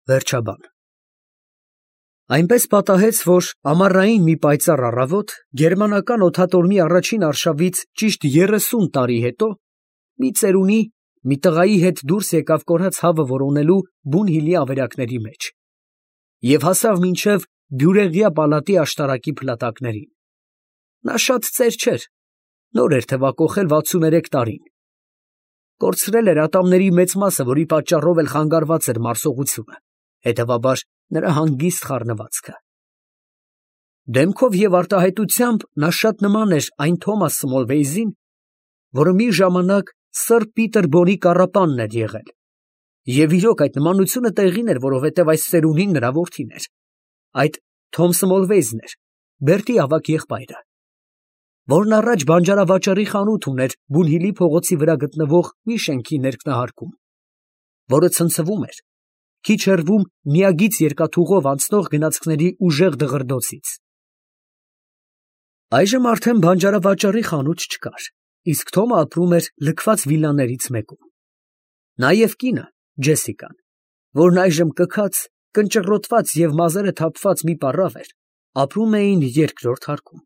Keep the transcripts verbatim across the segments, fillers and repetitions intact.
Վերջաբան։ Այնպես պատահեց, որ ամառային մի պայծառ առավոտ, գերմանական օդատորմի առաջին արշավից ճիշտ երեսուն տարի հետո, մի ծերունի մի տղայի հետ դուրս եկավ կորած հավը որոնելու Բունհիլի ավերակների մեջ և հասավ մինչև Բյուրեղյա պալատի աշտարակի փլատակներին։ Նա շատ ծեր չէր, նոր էր թևակոխել վաթսուներեք տարին, կորցրել էր ատամների մեծ մասը, որի պատճառով էլ խանգարված էր մարսողությունը, հետևաբար նրա հանգիստ խառնվածքը։ Դեմքով և արտահայտությամբ նա շատ նման էր այն Թոմաս Սմոլվեյզին, որը մի ժամանակ սըր Պիտեր Բոնի կառապանն էր եղել, և իրոք այդ նմանությունը տեղին էր, որովհետև այս ծերունին նրա որդին էր, այդ Թոմ Սմոլվեյզն էր, Բերտի ավագ եղբայրը, որն առաջ բանջարավաճառի խանութ ուներ Բունհիլի փողոցի վրա գտնվող մի շենքի ներքնահարկում, որը ցնցվում էր, քիչ հեռվում միագիծ երկաթուղով անցնող գնացքների ուժեղ դղրդոցից։ Այժմ արդեն բանջարավաճառի խանութ չկար, իսկ Թոմը ապրում էր լքված վիլլաներից մեկում։ Նա և կինը, Ջեսիկան, որն այժմ կքած, կնճռոտված և մազերը թափված մի պառավ էր, ապրում էին երկրորդ հարկում,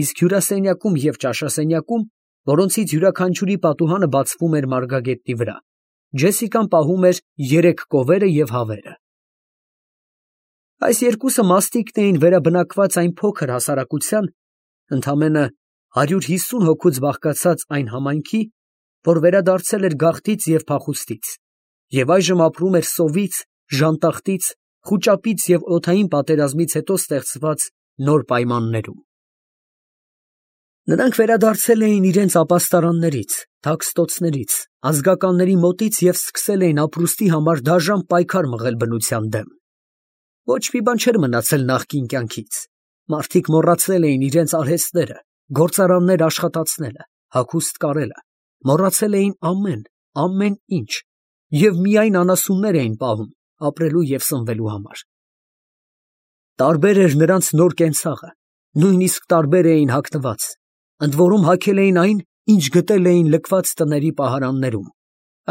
իսկ հյուրասենյակում և ճաշասենյակում, որոնցից յուրաքանչյուրի պատուհանը բացվում էր մարգագետնի վրա, Ջեսիկան պահում էր երեք կովերը և հավերը։ Այս երկուսը մասնիկն էին վերաբնակված այն փոքր հասարակության, ընդամենը հարյուր հիսուն հոգուց բաղկացած այն համայնքի, որ վերադարձել էր գաղթից և փախուստից, և այժմ ապրում էր սովից, ժանտախտից, խուճապից և օդային պատերազմից հետո ստեղծված նոր պայմաններում։ Նրանք վերադարձել էին իրենց ապաստարաններից, թաքստոցներից, ազգականների մոտից և սկսել էին ապրուստի համար դաժան պայքար մղել բնության դեմ։ Ոչ մի բան չէր մնացել նախկին կյանքից, մարդիկ մոռացել էին իրենց արհեստները, գործարաններ աշխատացնելը, հագուստ կարելը, մոռացել էին ամեն, ամեն ինչ և միայն անասուններ էին պահում ապրելու և սնվելու համար։ Տարբեր էր նրանց նոր կենցաղը, նույնիսկ տարբեր էին հագնված, ընդ որում հագել էին այն, ինչ գտել էին լքված տների պահարաններում,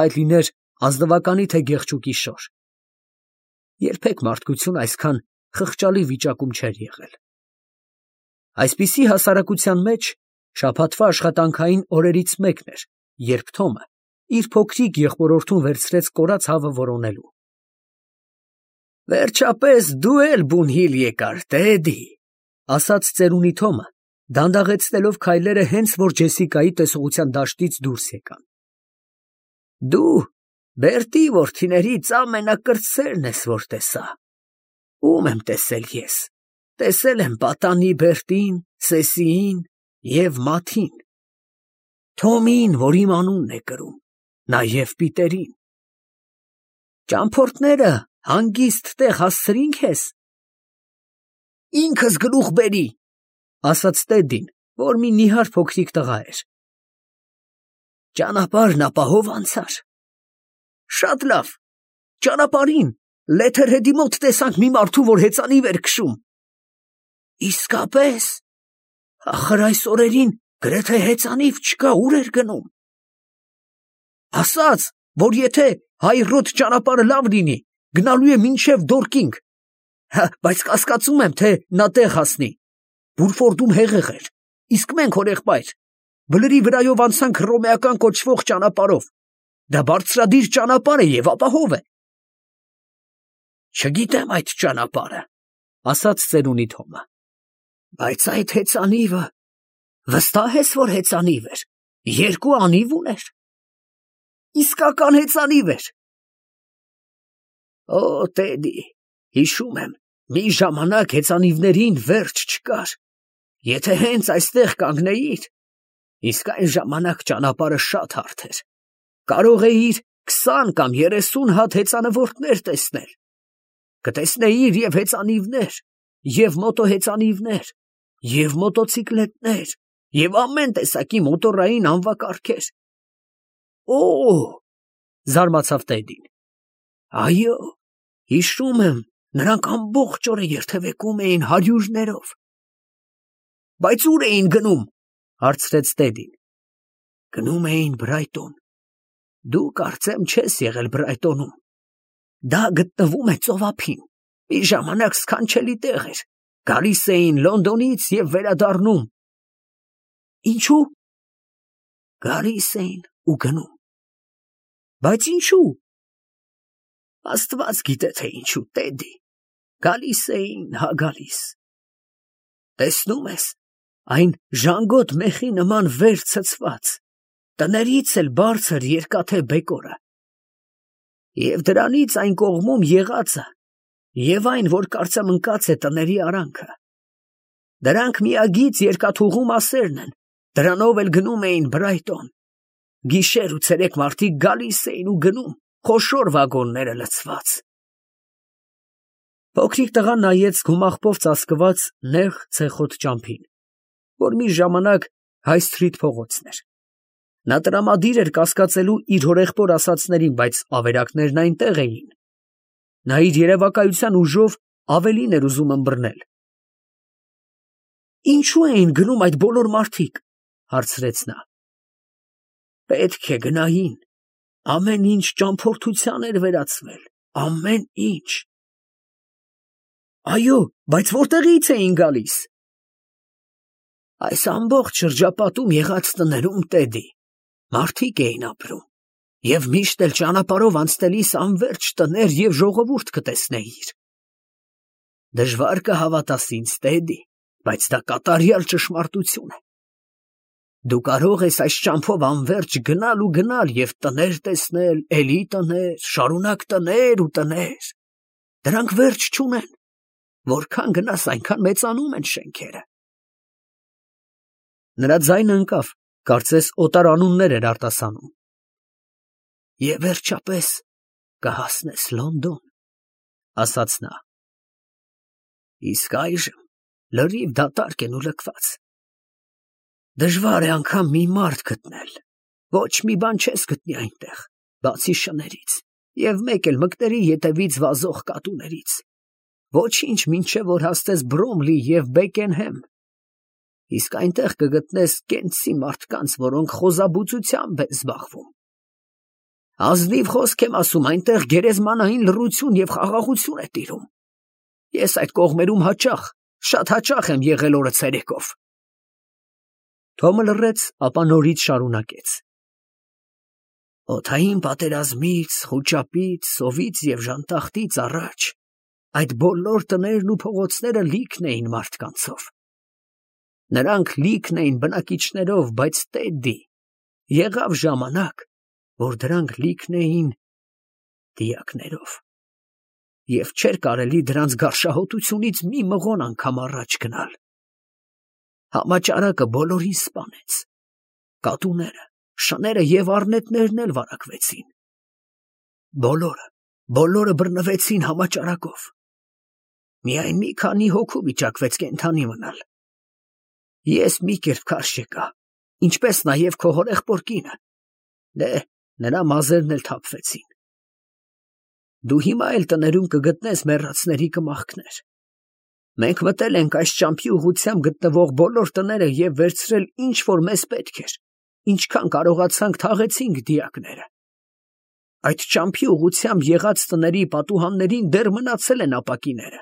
այդ լիներ ազնվականի թե գեղչուկի շոր։ Երբեք մարդկությունը այսքան խղճալի վիճակում չէր եղել։ Այսպիսի հասարակության մեջ շաբաթվա աշխատանքային օրերից մեկն էր, երբ Թոմը իր փոքրիկ եղբորորդուն վերցրեց կորած հավը որոնելու։ «Վերջապես դու էլ Բունհիլ եկար, Տեդի», ֊ ասաց ծերունի Թոմը, դանդաղեցնելով քայլերը, հենց որ Ջեսիկայի տեսողության դաշտից դուրս եկան։ «Դու Բերտի որդիներից ամենակրտսերն ես, որ տեսա։ Ո՞ւմ եմ տեսել ես. տեսել եմ պատանի Բերտին, Սեսիին և Մաթին, Թոմին, որ իմ անունն է կրում, նաև Պիտերին։ Ճամփորդները հանգիստ տեղ հասցրի՞ն քեզ»։ «Ինքս գլուխ բերի», ֊ ասաց Տեդին, որ մի նիհար փոքրիկ տղա էր։ «Ճանապարհն ապահով անցա՞ր»։ «Շատ լավ, ճանապարհին Լեթերհեդի մոտ տեսանք մի մարդու, որ հեծանիվ էր քշում»։ «Իսկապես, ախր այս օրերին գրեթե հեծանիվ չկա, ո՞ւր էր գնում»։ «Ասաց, որ եթե հայռոտ ճանապարհը լավ լինի, գնալու է մինչև Դորկինգ, բայց կասկածում եմ, թե նա տեղ հասնի։ Բուրֆորդում հեղեղ էր, իսկ մենք հորեղբայր բլրի վրայով անցանք Հռոմեական կոչվող ճանապարհով, դա բարձրադիր ճանապարհ է և ապահով է»։ «Չգիտեմ այդ ճանապարհը», ֊ ասաց ծերունի Թոմը։ «Բայց այդ հեծանիվը, վստահ ես, որ հեծանիվ էր, երկու անիվ ուներ։ Իսկական հեծանիվ էր»։ «Օ, Տեդի, հիշում եմ, մի ժամանակ հեծանիվներին վերջ չկար, եթե հենց այստեղ կանգնեիր, իսկ այն ժամանակ ճանապարհը շատ հարթ էր, կարող էիր քսան կամ երեսուն հատ հեծանվորդներ տեսնել, կտեսնեիր և հեծանիվներ, և մոտոհեծանիվներ, և մոտոցիկլետներ, և ամեն տեսակի մոտոռային անվակարգեր»։ «Օ՜», զարմացավ Տեդին։ «Այո, հիշում եմ, նրանք ամբողջ օրը երթևեկում էին հարյուրներով»։ «Բայց ո՞ւր էին գնում», ֊ հարցրեց Տեդին։ «Գնում էին Բրայտոն։ Դու կարծեմ չես եղել Բրայտոնում։ Դա գտնվում է ծովափին։ Մի ժամանակ սքանչելի տեղ էր։ Գալիս էին Լոնդոնից և վերադառնում։ Ինչու՞։ Գալիս էին ու գնում։ Բայց ինչու՞։ Աստված գիտե, թե ինչու, Տեդի։ Գալիս էին, հա գալիս։ Տեսնում ես, այն ժանգոտ մեխի նման վեր ցցված, տներից էլ բարձր երկաթե բեկորը։ Եվ դրանից այն կողմում եղածը, և այն, որ կարծեմ ընկած է տների արանքը։ Դրանք միագիծ երկաթուղու մասերն են, դրանով էլ գնում էին Բրայտոն։ Գիշեր ու ցերեկ մարդիկ գալիս էին ու գնում, խոշոր վագոնները լցված։ Փոքրիկ տղան նայեց գումաղբով ծածկված նեղ ցեխոտ ճամփին, որ մի ժամանակ Հայ Սթրիթ փողոցն էր։ Նա տրամադիր էր կասկածելու իր հորեղբոր ասածներին, բայց ավերակներն այնտեղ էին։ Նա իր երևակայության ուժով ավելին էր ուզում ըմբռնել։ Ինչու էին գնում այդ բոլոր մարդիկ, հարցրեց նա։ Պետք է գնային, ամեն ինչ ճամփորդության էր վերածվել, ամեն ինչ։ Այո, բայց որտեղից էին գալիս։ Այս ամբողջ շրջապատում եղած տներում, Տեդի, մարդիկ էին ապրում, և միշտ էլ ճանապարհով անցնելիս անվերջ տներ և ժողովուրդ կտեսնեիր։ Դժվար կհավատաս ինձ, Տեդի, բայց դա կատարյալ ճշմարտություն է։ Դու կարող ես այս ճամփով անվերջ գնալ ու գնալ և տներ տեսնել, էլի տներ, շարունակ տներ ու տներ։ Դրանք վերջ չունեն։ Որքան գնաս, այնքան մեծանում են շենքերը։ Նրա ձայնը ընկավ, կարծես օտար անուններ էր արտասանում։ Եվ վերջապես կհասնես Լոնդոն, ասաց նա։ Իսկ այժմ լրիվ դատարկ են ու լքված։ Դժվար է անգամ մի մարդ գտնել, ոչ մի բան չես գտնի այնտեղ, բացի շներից, և մեկ էլ մկների ետևից վազող կատուներից, ոչինչ մինչև որ հասնես Բրոմլի և Բեկենհեմ, իսկ այնտեղ կգտնես կենցի մարդկանց, որոնք խոզաբուծությամբ են զբաղվում։ Ազնիվ խոսք եմ ասում, այնտեղ գերեզմանային լռություն և խաղաղություն է տիրում։ Ես այդ կողմերում հաճախ, շատ հաճախ եմ եղել օրը ցերեկով։ Թոմը լռեց, ապա նորից շարունակեց. Օդային պատերազմից, խուճապից, սովից և ժանտախտից առաջ այդ բոլոր տներն ու փողոցները լիքն էին մարդկանցով։ Նրանք լիքն էին բնակիչներով, բայց Տեդի, եղավ ժամանակ, որ դրանք լիքն էին դիակներով, և չէր կարելի դրանց գարշահոտությունից մի մղոն անգամ առաջ գնալ։ Համաճարակը բոլորին սպանեց, կատուները, շները և առնետներն էլ վարակվեցին։ Բոլորը, բոլորը բռնվեցին համաճարակով։ Միայն մի քանի հոգու վիճակվեց կենդանի մնալ։ Ես մի կերպ քարշ եկա, ինչպես նաև քո հորեղբոր կինը, դե, նրա մազերն էլ թափվեցին։ Դու հիմա էլ տներում կգտնես մեռածների կմախքներ։ Մենք մտել ենք այս ճամփի ուղղությամբ գտնվող բոլոր տները և վերցրել ինչ որ մեզ պետք էր, ինչքան կարողացանք թաղեցինք դիակները։ Այդ ճամփի ուղղությամբ եղած տների պատուհաններին դեռ մնացել են ապակիները։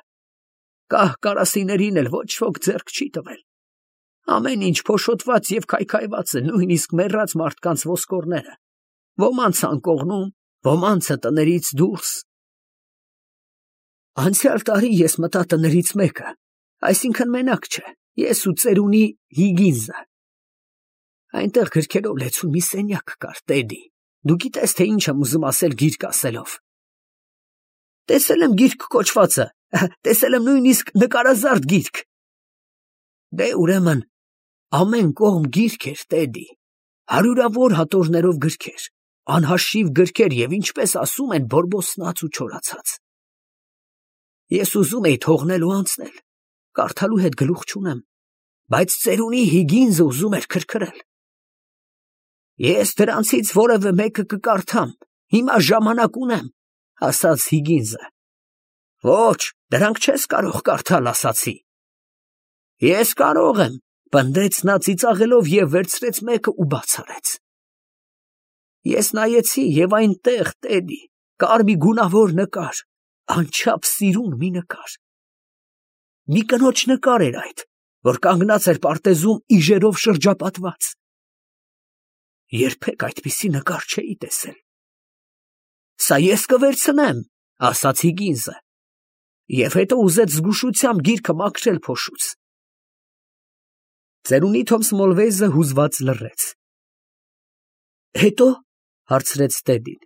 Կահ կարասիներին էլ ոչ ոք ձեռք չի տվել։ Ամեն ինչ փոշոտված և քայքայված է, նույնիսկ մեռած մարդկանց ոսկորները, ոմանց անկողնում, ոմանցը տներից դուրս։ Անցյալ տարի ես մտա տներից մեկը, այսինքն մենակ չէ, ես ու ծերունի Հիգինսը։ Այնտեղ գրքերով լեցուն մի սենյակ կար, Տեդի, դու գիտես, թե ինչ եմ ուզում ասել գիրք ասելով։ Տեսել եմ գիրք կոչվածը, տեսել եմ նույնիսկ նկարազարդ գիրք։ Դե ուրեմն, ամեն կողմ գիրք էր, Տեդի, հարյուրավոր հատորներով գրքեր, անհաշիվ գրքեր և ինչպես ասում են, բորբոսնած ու չորացած։ Ես ուզում էի թողնել ու անցնել, կարդալու հետ գլուխ չունեմ, բայց ծերունի Հիգինսը ուզում էր քրքրել։ Ես դրանցից որևէ մեկը կկարդամ, հիմա ժամանակ ունեմ, ասաց Հիգինսը։ Ոչ, դրանք չես կարող կարդալ, ասացի։ Ես կարող եմ, պնդեց նա ծիծաղելով և վերցրեց մեկը ու բաց արեց։ Ես նայեցի և այնտեղ, Տեդի, կար մի գունավոր նկար, անչափ սիրուն մի նկար։ Մի կնոջ նկար էր այդ, որ կանգնած էր պարտեզում իժերով շրջապատված։ Երբեք այդպիսի նկար չէի տեսել։ Սա ես կվերցնեմ, ասաց Հիգինսը, և հետո ուզեց զգուշությամբ գիրքը մաքրել փոշուց։ Ծերունի Թոմս Մոլվեյզը հուզված լռեց։ Հետո, հարցրեց Տեդին։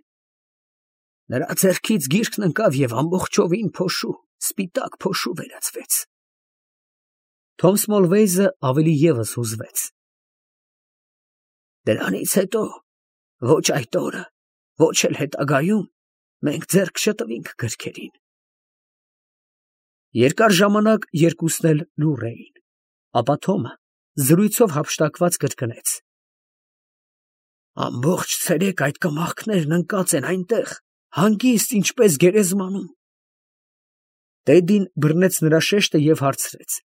Նրա ձեռքից գիրքն ընկավ և ամբողջովին փոշու, սպիտակ փոշու վերածվեց։ Թոմս Մոլվեյզը ավելի ևս հուզվեց։ Դրանից հետո, ոչ այդ օրը, ոչ էլ հետագայում, մենք ձեռք չտվինք գրքերին։ Երկար ժամանակ երկուսն էլ լուռ էին, ապա Թոմը զրույցով հափշտակված կրկնեց. Ամբողջ ցերեկ այդ կմախքներն ընկած են այնտեղ, հանգիստ, ինչպես գերեզմանում։ Տեդին բռնեց նրա շեշտը և հարցրեց.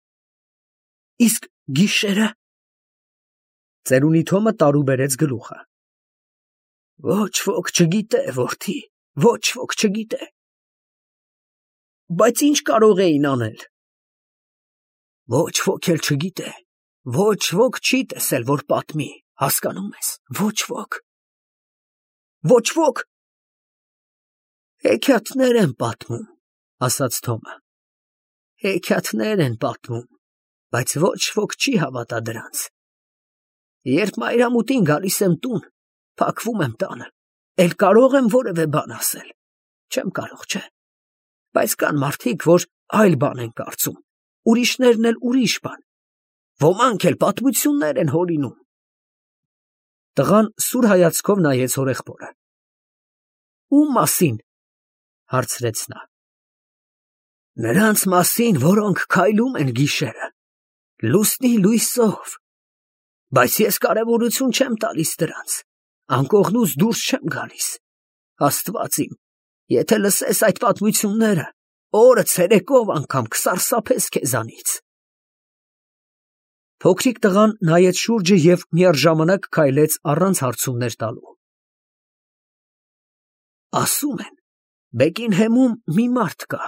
Իսկ գիշերը։ Ծերունի Թոմը տարուբերեց գլուխը։ Ոչ ոք չգիտե, որդի, ոչ ոք չգիտե։ Բայց ինչ կարող էին անել։ Ոչ ոք էլ չգիտե, ոչ ոք չի տեսել, որ պատմի, հասկանում ես, ոչ ոք։ Ոչ ոք։ Հեքիաթներ են պատմում, ասաց Թոմը։ Հեքիաթներ են պատմում, բայց ոչ ոք չի հավատա դրանց։ Երբ մայրամուտին գալիս եմ տուն, փակվում եմ տանը, էլ կարող եմ որևէ բան ասել։ Չեմ կարող, չէ։ Բայց կան մարդիկ, որ այլ բան են կարծում, ուրիշներն էլ ուրիշ բան։ Ոմանք էլ պատմություններ են հորինում։ Տղան սուր հայացքով նայեց հորեղբորը։ Ում մասին, հարցրեց նա։ Նրանց մասին, որոնք քայլում են գիշերը, լուսնի լույսով։ Բայց ես կարևորություն չեմ տալիս դրանց, անկողնուց դուրս չեմ գալիս։ Աստված իմ, եթե լսես այդ պատմությունները, օրը ցերեկով անգամ կսարսափես քեզանից։ Փոքրիկ տղան նայեց շուրջը և միաժամանակ քայլեց առանց հարցումներ տալու։ Ասում են, Բեկինհեմում մի մարդ կա,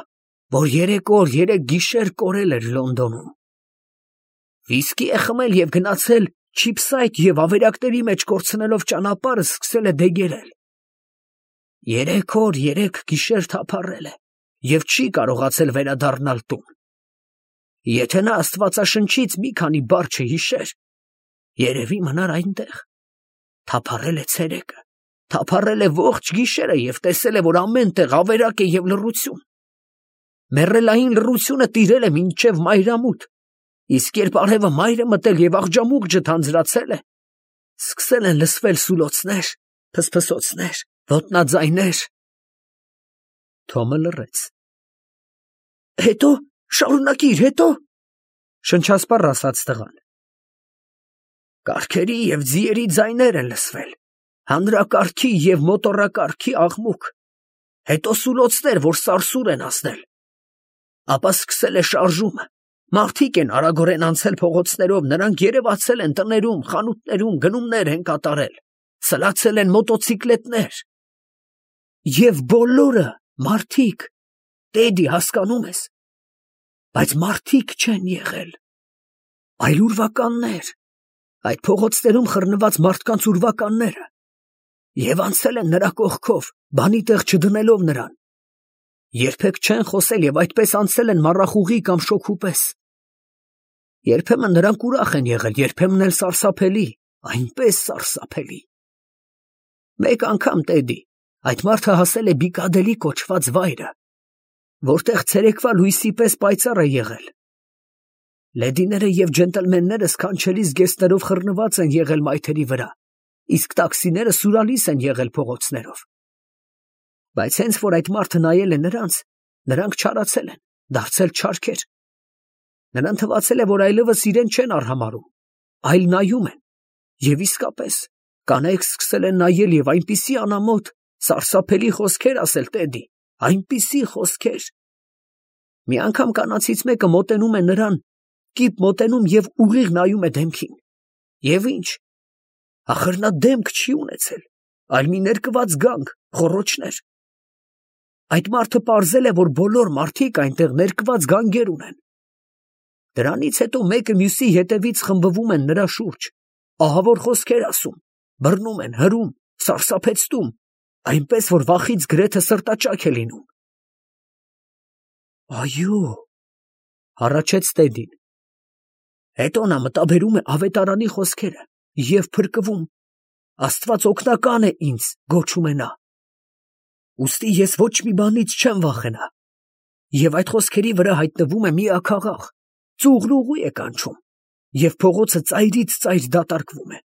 որ երեք օր երեք գիշեր կորել էր Լոնդոնում։ Վիսկի է խմել և գնացել Չիփսայթ և ավերակների մեջ կորցնելով ճանապարհը սկսել է դեգերել։ Երեք օր երեք գիշեր թափառել է և չի կարողացել վերադառնալ տուն։ Եթե նա Աստվածաշնչից մի քանի բառ չհիշեր, երևի մնար այնտեղ։ Թափառել է ցերեկը, թափառել է ողջ գիշերը և տեսել է, որ ամեն տեղ ավերակ է և լռություն։ Մեռելային լռությունը տիրել է մինչև մայրամուտ, իսկ երբ արևը մայր է մտել և աղջամուղջը թանձրացել է, սկսել են լսվել սուլոցներ, փսփսոցներ, ոտնաձայներ։ Թոմը լռեց։ Հետո, շարունակիր, հետո, շնչասպառ ասաց տղան։ Կառքերի և ձիերի ձայներ են լսվել, հանրակառքի և մոտոռակառքի աղմուկ, հետո սուլոցներ, որ սարսուռ են ազդել։ Ապա սկսել է շարժումը, մարդիկ են արագորեն անցել փողոցներով, նրանք երևացել են տներում, խանութներում, գնումներ են կատարել, սլացել են մոտոցիկլետներ։ Եվ բոլորը մարդիկ, Տեդի, հասկանում ես, բայց մարդիկ չեն եղել, այլ ուրվականներ, այդ փողոցներում խռնված մարդկանց ուրվականները, և անցել են նրա կողքով, բանի տեղ չդնելով նրան, երբեք չեն խոսել և այդպես անցել են մառախուղի կամ շոգու պես։ Երբեմն նրանք ուրախ են եղել, երբեմն էլ սարսափելի, այնպես սարսափելի։ Մեկ անգամ, Տեդի, այդ մարդը հասել է Բիկադելի կոչված վայրը, որտեղ ցերեկվա լույսի պես պայծառ է եղել։ Լեդիները և ջենտլմենները սքանչելի զգեստներով խռնված են եղել մայթերի վրա, իսկ տաքսիները սուրալիս են եղել փողոցներով։ Բայց հենց որ այդ մարդը նայել է նրանց, նրանք չարացել են, դարձել չարքեր։ Նրան թվացել է, որ այլևս իրեն չեն արհամարհում, այլ նայում են, և իսկապես կանայք սկսել են նայել և այնպիսի անամոթ, սարսափելի խոսքեր ասել Տեդի, այնպիսի խոսքեր։ Մի անգամ կանացից մեկը մոտենում է նրան, կիպ մոտենում և ուղիղ նայում է դեմքին։ Եվ ի՞նչ, ախր նա դեմք չի ունեցել, այլ մի ներկված գանգ, խոռոչներ։ Այդ մարդը պարզել է, որ բոլոր մարդիկ այնտեղ ներկված գանգեր ունեն։ Դրանից հետո մեկը մյուսի հետևից խմբվում են նրա շուրջ, ահավոր խոսքեր ասում, բռնում են, հրում, սարսափեցնում, այնպես որ վախից գրեթե սրտաճաք է լինում։ Այո, հառաչեց Տեդին։ Հետո նա մտաբերում է ավետարանի խոսքերը և փրկվում։ Աստված օգնական է ինձ, գոչում է նա։ Ուստի ես ոչ մի բանից չեմ վախենա։ Եվ այդ խոսքերի վրա հայտնվում է մի աքաղաղ, ծուղն ուղի է կանչում, և փողոցը ծայրից ծայր դատարկվում է։